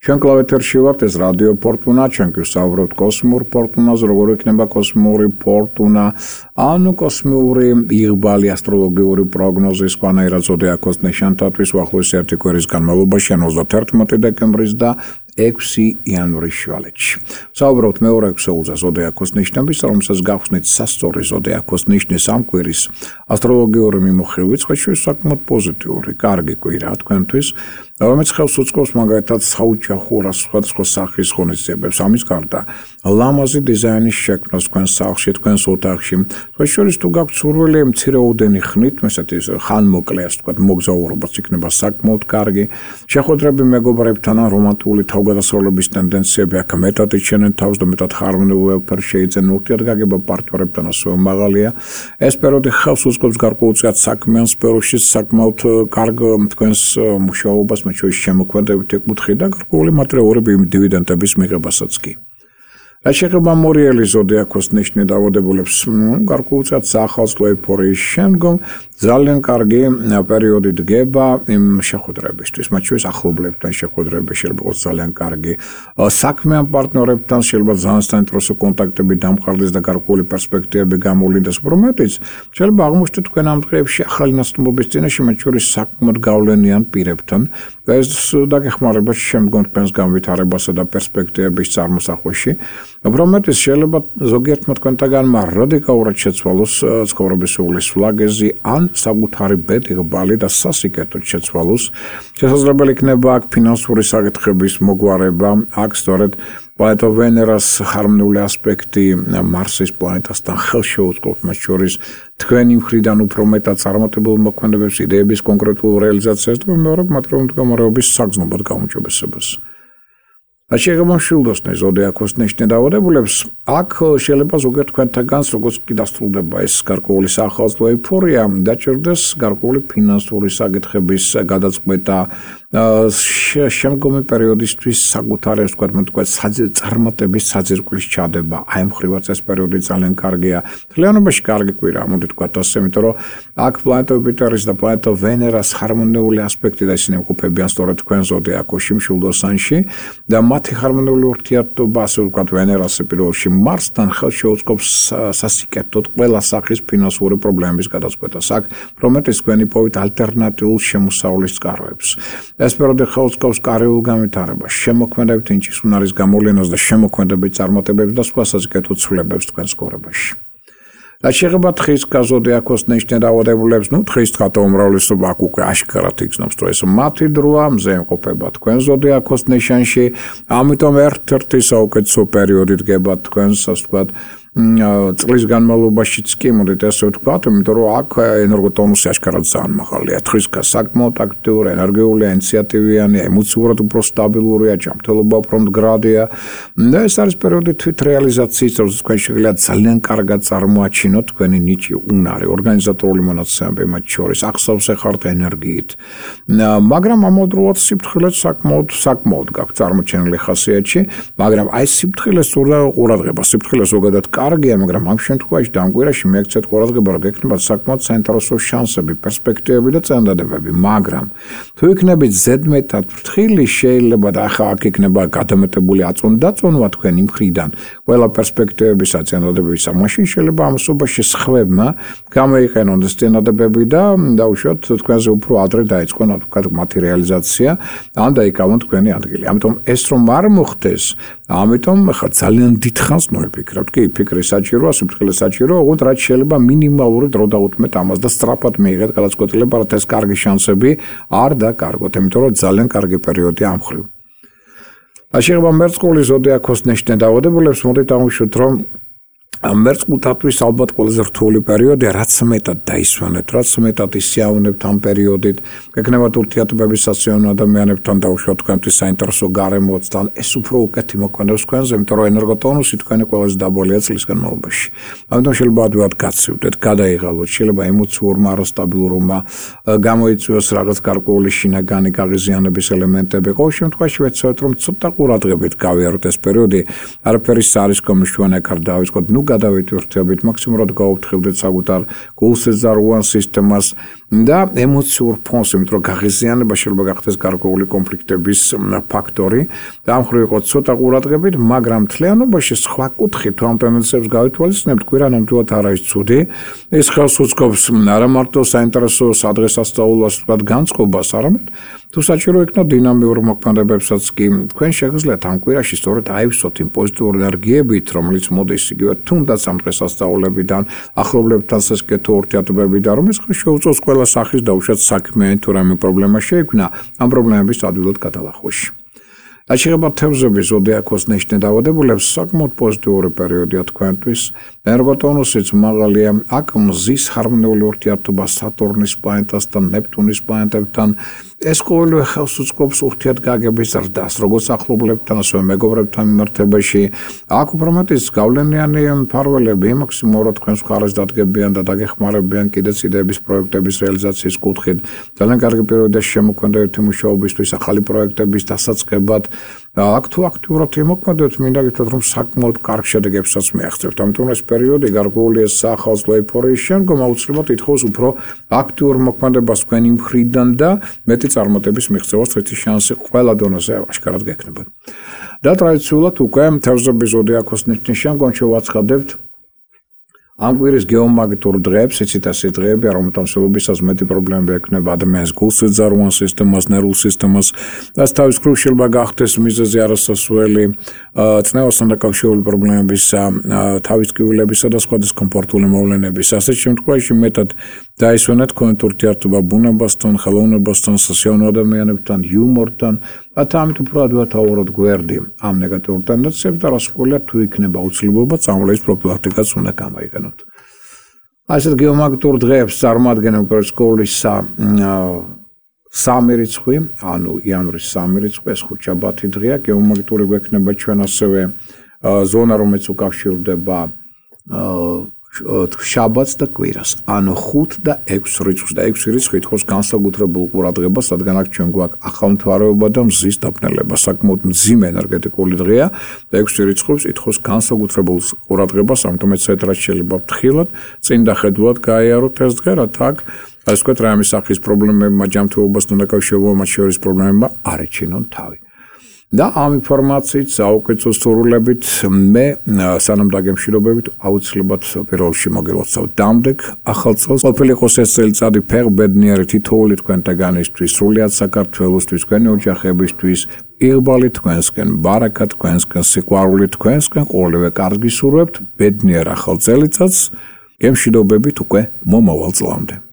ჩვენ კლავეთერში ვართ, ეს რადიო ფორტუნა, ჩვენ გვსაუბრობთ კოსმურ ფორტუნაზე, როგორ იქნება კოსმური ფორტუნა, ანუ კოსმიური იღბალი, ასტროლოგიური პროგნოზი, სხვანაირად ზოდიაქოს ნიშანთათვის უახლოესი ერთი კვირის განმავლობაში, 31 დეკემბრის და 6 იანვრის შვალეთში. საუბრობთ მეორე ქსოულზე ზოდიაქოს ნიშნების, რომელსაც გავხსნით სასწორი ზოდიაქოს ნიშნის ამ კვირის ასტროლოგიური მიმოხილვით, სხვათა საკმაოდ პოზიტიური, კარგი კვირა თქვენთვის, რომელიც ხელს უწყობს მაგალითად საოჯახო სხვადასხვა სახის ღონისძიებებს, ამის გარდა ლამაზი დიზაინის შექმნას თქვენს სახლში, თქვენს ოთახში. სხვათა თუ გაქვთ სურვილი მცირეოდენი ხნით, ესეთი ხანმოკლე, ასე ვთქვათ, მოგზაურობაც იქნება საკმაოდ კარგი. შეხვედრები მეგობრებთან ან რომანტიკული თავგადასავლების ტენდენციები აქ მეტად იჩენენ თავს და მეტად ხარმონიულ ველფერს შეიძენენ ურთიერთგაგება პარტნიორებთან ასევე მაღალია. ეს პერიოდი ხელს უწყობს გარკვეულწილად საქმიან სფეროში საკმაოდ კარგ თქვენს მუშაობას, მათ შორის შემოქმედებით ეკუთხი და გარკვეული მატერიალური დივიდენდების მიღებასაც კი. რაც შეეხება მორიელი ზოდიაქოს ნიშნით დაავადებულებს, გარკვეულწილად საახალწლო ეიფორიის შემდგომ ძალიან კარგი პერიოდი დგება იმ შეხვედრებისთვის, მათ შორის ახლობლებთან შეხვედრები შეიძლება იყოს ძალიან კარგი. საქმიან პარტნიორებთან შეიძლება ძალიან საინტერესო კონტაქტები დამყარდეს და გარკვეული პერსპექტივები გამოვლინდეს, რომლებიც შეიძლება აღმოჩნდეთ თქვენ ამ დღეებში ახალი ნაცნობობის წინაშე, მათ შორის საკმაოდ გავლენიან პირებთან და ეს დაგეხმარება შემდგომ თქვენს განვითარებასა და პერსპექტივების წარმოსახვაში. Prometis შეიძლება ზოგიერთმა თქვენთაგანმა რადიკალურად შეცვალოს ცხოვრების უვლის ვლაგეზი ან საკუთარი ბედიღბალი და სასიკეთოდ შეცვალოს. შესაძლებელი იქნება აქ ფინანსური საკითხების მოგვარება, აქ სწორედ პლანეტა ვენერას ჰარმონიული ასპექტი მარსის პლანეტასთან ხელს შეუწყობს, მათ შორის თქვენი მხრიდან უფრო მეტად წარმატებულ მოქმედებებს, იდეების კონკრეტულ რეალიზაციას და მეორე მატერიალური მდგომარეობის საგრძნობად გაუმჯობესებას. რაც შეეხება მშვილდოსნე ზოდიაქოს ნიშნის დაავადებულებს, აქ შეიძლება ზოგიერთ თქვენთაგანს, როგორც კი დასრულდება ეს გარკვეული საახალწლო ეიფორია, დაჭირდეს გარკვეული ფინანსური საკითხების გადაწყვეტა, შემდგომი პერიოდისთვის საკუთარი, ასე ვთქვათ, წარმატების საძირკვლის ჩადება. აი მხრივაც ეს პერიოდი ძალიან კარგია. მთლიანობაში კარგი კვირაა, მოდი ვთქვათ ასე, იმიტომ რომ აქ პლანეტა იუპიტერის და პლანეტა ვენერას ჰარმონიული ასპექტი და ისინი იმყოფებიან სწორედ თქვენ ზოდიაქოში, მშვილდოსანში და მათი ჰარმონიული ურთიერთობა, ასე ვთქვათ, ვენერას პირველში მარსთან ხელს შეუწყობს სასიკეთოდ ყველა სახის ფინანსური პრობლემების გადაწყვეტას. აქ პრომეტის თქვენი პოვით ალტერნატიულ შემოსავლის წყაროებს. ეს პერიოდი ხელს უწყობს კარიერულ განვითარებას, შემოქმედებით ინჭის უნარის გამოვლენას და შემოქმედებით წარმატებებს და სხვა სასიკეთო ცვლილებებს თქვენ ცხოვრებაში. რაც შეეხება თხის ზოდიაქოს ნიშნის დაავადებულებს, თხის თხატა უმრავლესობა აქ უკვე აშკარად იგრძნობს, რომ ეს მათი დროა, მზე იმყოფება თქვენ ზოდიაქოს ნიშანში, ამიტომ ერთ-ერთი საუკეთესო პერიოდი დგება თქვენს, ასე ვთქვათ, წლის განმავლობაშიც კი მოდით ესე ვთქვათ, იმიტომ რომ აქ ენერგოტონუსი აშკარად ძალიან მაღალია. თხისკა საკმაოდ აქტიური, ენერგიულია, ინიციატივიანია, ემოციურად უფრო სტაბილურია, ჯანმრთელობა უფრო მდგრადია. და ეს არის პერიოდი თვით რეალიზაციის, როდესაც თქვენ შეგიძლიათ ძალიან კარგად წარმოაჩინოთ თქვენი ნიჭი, უნარი, ორგანიზატორული მონაცემები მათ შორის, აღსავსე ხართ ენერგიით. მაგრამ ამავდროულად სიფრთხილეც საკმაოდ გაქვთ წარმოჩენილი ხასიათში, მაგრამ აი სიფრთხილეს სურდა ყურადღება, სიფრთხილე ზოგადად კარგია, მაგრამ ამ შემთხვევაში და ამ კვირაში მიექცეთ ყურადღება, რომ გექნებათ საკმაოდ საინტერესო შანსები, პერსპექტივები და წინადადებები, მაგრამ თუ იქნებით ზედმეტად ფრთხილი, შეიძლება და ახლა აქ იქნება გადამეტებული აწონდაწონვა თქვენი მხრიდან, ყველა პერსპექტივების წინადადებებისა, მაშინ შეიძლება ამ სობაში სხვებმა გამოიყენონ ეს წინადადებები და დაუშვათ თქვენზე უფრო ადრე დაიწყონ მათი რეალიზაცია, ან დაიკავონ თქვენი ადგილი. ამიტომ ეს რომ არ მოხდეს, ამიტომ ახლა ძალიან დიდხანს ნოიფიქრებთ, კი ფიქრი საჭიროა, სიფრთხილე საჭიროა, ოღონდ რაც შეიძლება მინიმალური დრო დაუთმეთ ამას და სწრაფად მიიღეთ გადაწყვეტილება, რომ ეს კარგი შანსები არ დაკარგოთ, იმიტომ რომ ძალიან კარგი პერიოდია ამ მხრივ. რაც შეეხება მერწყული ზოდიაქოს ნიშნის დაავადებულებს, მოდით დავუშვათ, რომ მერწყულთათვის ალბათ ყველაზე რთული პერიოდია, რაც მეტად დაისვენებთ, რაც მეტად ისიავნებთ ამ პერიოდით, გეკნებათ ურთიერთობების საციონო ადამიანებთან დაუშვათ თქვენთვის საინტერესო გარემოც და ეს უფრო უკეთი მოქმედებს თქვენზე, იმიტომ რომ ენერგოტონუსი თქვენი ყველაზე დაბოლია წლის განმავლობაში. ამიტომ შეიძლება ადვილად გაცივდეთ, გადაიღალოთ, შეიძლება ემოციურმა არასტაბილურობა გამოიწვიოს რაღაც გარკვეული შინაგანი გაღიზიანების ელემენტები. ყოველ შემთხვევაში ვეცადეთ, რომ ცოტა ყურადღებით გავიაროთ ეს პერიოდი, არაფერი საარისკო მნიშვნელოვანი არ დავიწყოთ. ნუ გადავიტვირთებით, მაქსიმუმად გავუფრთხილდეთ საკუთარ გულსეზარუან სისტემას და ემოციურ ფონს, იმიტომ რომ გაღიზიანება შეიძლება გახდეს გარკვეული კონფლიქტების ფაქტორი და ამ მხრივ იყოს ცოტა ყურადღებით, მაგრამ მთლიანობაში სხვა კუთხით თუ ამ ტენდენციებს გავითვალისწინებთ, კვირა ნამდვილად არ არის ცუდი. ეს ხელს უწყობს არა მარტო საინტერესო სადღესასწაულოს ვთქვათ განწყობას, არამედ თუ საჭირო იქნა დინამიურ მოქმედებებსაც კი თქვენ შეგიძლიათ ამ კვირაში სწორედ აივსოთ იმ პოზიტიური ენერგიებით, რომელიც მოდის იგივე თუნდაც ამ დღესასწაულებიდან, ახლობლებთან სასკეთო ურთიერთობებიდან, რომელიც შეუწევს ყველა სახის დაუშვათ საქმიანი თუ რამე პრობლემა შეიქმნა, ამ პრობლემების ადვილად გადალახვაში. Aș თევზების ზოდიაქოს ნიშნე დავადებულებს საკმაოდ პოზიტიური პერიოდია თქვენთვის. ენერგოტონუსიც მაღალია, აქ მზის ჰარმონიული ურთიერთობა სატურნის პლანეტასთან, ნეპტუნის პლანეტებთან. ეს ყოველივე ხელს უწყობს ურთიერთგაგების ზრდას, როგორც ახლობლებთან, ასევე მეგობრებთან მიმართებაში. აქ უფრო მეტიც გავლენიანი მფარველები მაქსიმალურად თქვენს მხარეს დადგებიან და დაგეხმარებიან კიდეც იდეების პროექტების რეალიზაციის კუთხით. ძალიან კარგი პერიოდია შემოქმედებითი მუშაობისთვის, ახალი პროექტების დასაწყებად. აქ თუ აქტიურად იმოქმედოთ, მინდა გითხრათ, რომ საკმაოდ კარგ შედეგებსაც მიაღწევთ. ამიტომ ეს პერიოდი გარკვეული სახალხო ეიფორიის შემდგომ აუცილებლად ითხოვს უფრო აქტიურ მოქმედებას თქვენი მხრიდან და მეტი წარმატების მიღწევას წეთი შანსი ყველა დონეზე აშკარად გექნებათ. და ტრადიციულად უკვე თევზების ზოდიაქოს ნიშნის შემდგომ შევაცხადებთ ამ კვირის გეომაგნიტურ დღეებს, იცით ასე დღეები, რომელთამსებობისას მეტი პრობლემები ექნება ადამიანის გულსეზარუან სისტემას, ნერვულ სისტემას, და თავის მხრივ შეიძლება გახდეს მიზეზი არასასურველი წნევასთან დაკავშირებული პრობლემებისა, თავის ტკივილებისა და სხვა დისკომფორტული მოვლენების. ასეთ შემთხვევაში მეტად დაისვენეთ თქვენით ურთიერთობა ბუნებასთან, ხელოვნებასთან, სასიავნო ადამიანებთან, იუმორთან, და ამით უფრო ადვათაუროთ გვერდი ამ ნეგატიურ ტენდენციებს და რასაკვირველია თუ იქნება აუცილებლობა წამოვლების პროფილაქტიკაც უნდა გამოიყენოთ. ასეთ გეომაგნიტურ დღეებს წარმოადგენენ უპირისკოვლისა სამი რიცხვი, ანუ იანვრის სამი რიცხვი, ეს ხუთშაბათი დღეა, გეომაგნიტური გვექნება ჩვენ ასევე ზონა, რომელიც უკავშირდება შაბათს და კვირას, ანუ 5 და 6 რიცხვს და 6 რიცხვი ითხოვს განსაკუთრებულ ყურადღებას, რადგან აქ ჩვენ გვაქვს ახალმთვარეობა და მზის დაბნელება, საკმაოდ მძიმე ენერგეტიკული დღეა და 6 რიცხვს ითხოვს განსაკუთრებულ ყურადღებას, ამიტომ ეცეთ რაც შეიძლება ფრთხილად, წინ და ხედულად გაიაროთ ეს დღე, რათა აქ ასე ვთქვათ, რამე სახის პრობლემებმა, ჯანმრთელობასთან დაკავშირებულ მათ შორის პრობლემებმა არ ეჩინონ თავი. და ამ ინფორმაციით საუკეთესო სურვილებით მე სანამ დაგემშვიდობებით აუცილებლად პირველში მოგილოცავ დამდეგ ახალ წელს ყოფილი იყოს ეს წელიწადი ფეხბედნიერი თითოეული თქვენთაგანისთვის სრულიად საქართველოსთვის თქვენი ოჯახებისთვის იღბალი თქვენსკენ ბარაკა თქვენსკენ სიყვარული თქვენსკენ ყოველივე კარგი სურვებთ ბედნიერ ახალ წელიწადს გემშვიდობებით უკვე მომავალ წლამდე